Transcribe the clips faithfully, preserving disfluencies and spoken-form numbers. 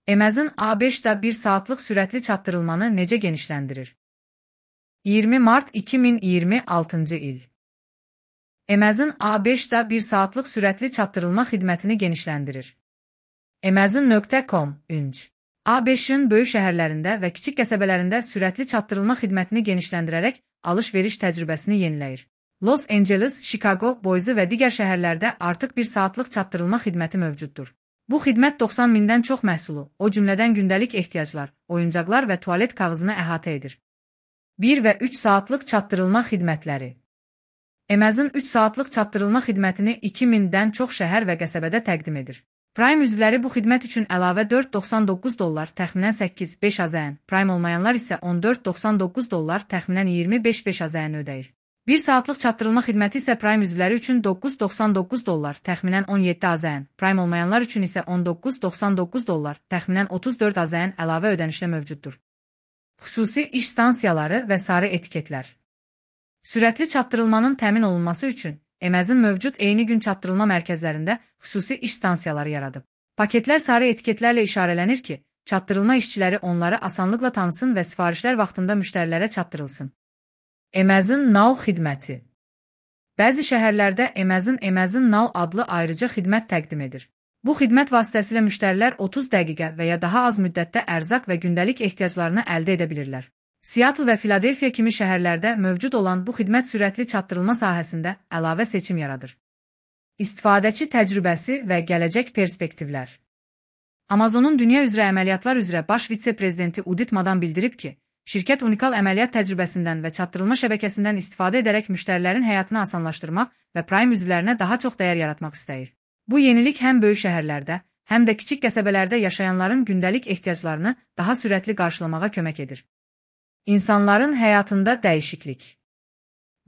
Amazon A beşdə bir saatlıq sürətli çatdırılmanı necə genişləndirir? iyirmi mart iki min iyirmi altıncı il. Amazon A beşdə bir saatlıq sürətli çatdırılma xidmətini genişləndirir. Amazon nöqtə com ünc A beşin böyük şəhərlərində və kiçik qəsəbələrində sürətli çatdırılma xidmətini genişləndirərək alış-veriş təcrübəsini yeniləyir. Los Angeles, Chicago, Boise və digər şəhərlərdə artıq bir saatlıq çatdırılma xidməti mövcuddur. Bu xidmət doxsan mindən çox məhsulu, o cümlədən gündəlik ehtiyaclar, oyuncaqlar və tualet kağızını əhatə edir. bir və üç saatlıq çatdırılma xidmətləri. Amazon üç saatlıq çatdırılma xidmətini iki mindən çox şəhər və qəsəbədə təqdim edir. Prime üzvləri bu xidmət üçün əlavə dörd doxsan doqquz dollar, təxminən səkkiz beş AZN, Prime olmayanlar isə on dörd doxsan doqquz dollar, təxminən iyirmi beş beş AZN ödəyir. bir saatlıq çatdırılma xidməti isə Prime üzvləri üçün doqquz doxsan doqquz dollar, təxminən on yeddi AZN, Prime olmayanlar üçün isə on doqquz doxsan doqquz dollar, təxminən otuz dörd AZN əlavə ödənişlə mövcuddur. Xüsusi iş stansiyaları və sarı etiketlər. Sürətli çatdırılmanın təmin olunması üçün Amazon mövcud eyni gün çatdırılma mərkəzlərində xüsusi iş stansiyaları yaradıb. Paketlər sarı etiketlərlə işarələnir ki, çatdırılma işçiləri onları asanlıqla tanısın və sifarişlər vaxtında müştərilərə çatdırılsın. Amazon Now xidməti. Bəzi şəhərlərdə Amazon Amazon Now adlı ayrıca xidmət təqdim edir. Bu xidmət vasitəsilə müştərilər otuz dəqiqə və ya daha az müddətdə ərzaq və gündəlik ehtiyaclarını əldə edə bilirlər. Seattle və Filadelfiya kimi şəhərlərdə mövcud olan bu xidmət sürətli çatdırılma sahəsində əlavə seçim yaradır. İstifadəçi təcrübəsi və gələcək perspektivlər. Amazonun dünya üzrə əməliyyatlar üzrə baş vitse-prezidenti Udit Madan bildirib ki, şirkət unikal əməliyyat təcrübəsindən və çatdırılma şəbəkəsindən istifadə edərək müştərilərin həyatını asanlaşdırmaq və Prime üzvlərinə daha çox dəyər yaratmaq istəyir. Bu yenilik həm böyük şəhərlərdə, həm də kiçik qəsəbələrdə yaşayanların gündəlik ehtiyaclarını daha sürətli qarşılamağa kömək edir. İnsanların həyatında dəyişiklik.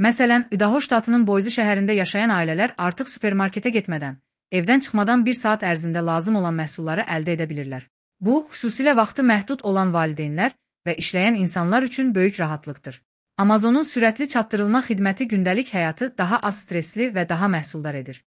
Məsələn, Idaho ştatının Boise şəhərində yaşayan ailələr artıq supermarketə getmədən, evdən çıxmadan bir saat ərzində lazım olan məhsulları əldə edə bilirlər. Bu, xüsusilə vaxtı məhdud olan valideynlər və işləyən insanlar üçün böyük rahatlıqdır. Amazonun sürətli çatdırılma xidməti gündəlik həyatı daha az stresli və daha məhsuldar edir.